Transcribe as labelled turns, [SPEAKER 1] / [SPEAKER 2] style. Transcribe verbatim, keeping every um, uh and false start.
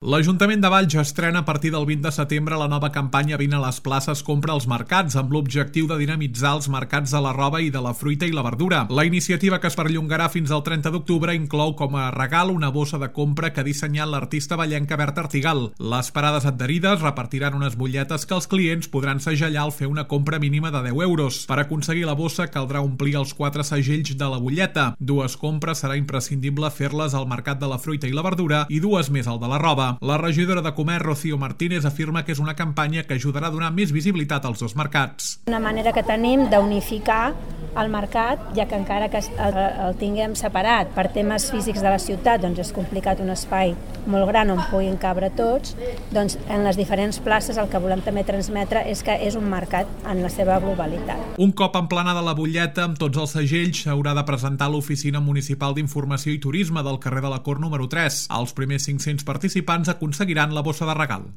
[SPEAKER 1] L'Ajuntament de Valls estrena a partir del vint de setembre la nova campanya Vine a les places, compra als mercats, amb l'objectiu de dinamitzar els mercats de la roba i de la fruita i la verdura. La iniciativa, que es perllongarà fins al trenta d'octubre, inclou com a regal una bossa de compra que ha dissenyat l'artista vallenca Berta Artigal. Les parades adherides repartiran unes butlletes que els clients podran segellar al fer una compra mínima de deu euros. Per aconseguir la bossa caldrà omplir els quatre segells de la butlleta. Dues compres serà imprescindible fer-les al mercat de la fruita i la verdura i dues més al de la roba. La regidora de Comerç, Rocío Martínez, afirma que és una campanya que ajudarà a donar més visibilitat als dos mercats.
[SPEAKER 2] Una manera que tenim d'unificar el mercat, ja que encara que el, el tinguem separat per temes físics de la ciutat, doncs és complicat un espai molt gran on puguin cabre tots, doncs en les diferents places el que volem també transmetre és que és un mercat en la seva globalitat.
[SPEAKER 1] Un cop emplenada la butlleta amb tots els segells, s'haurà de presentar a l'Oficina Municipal d'Informació i Turisme del carrer de la Cort número tres. Els primers cinc-cents participants aconseguiran la bossa de regal.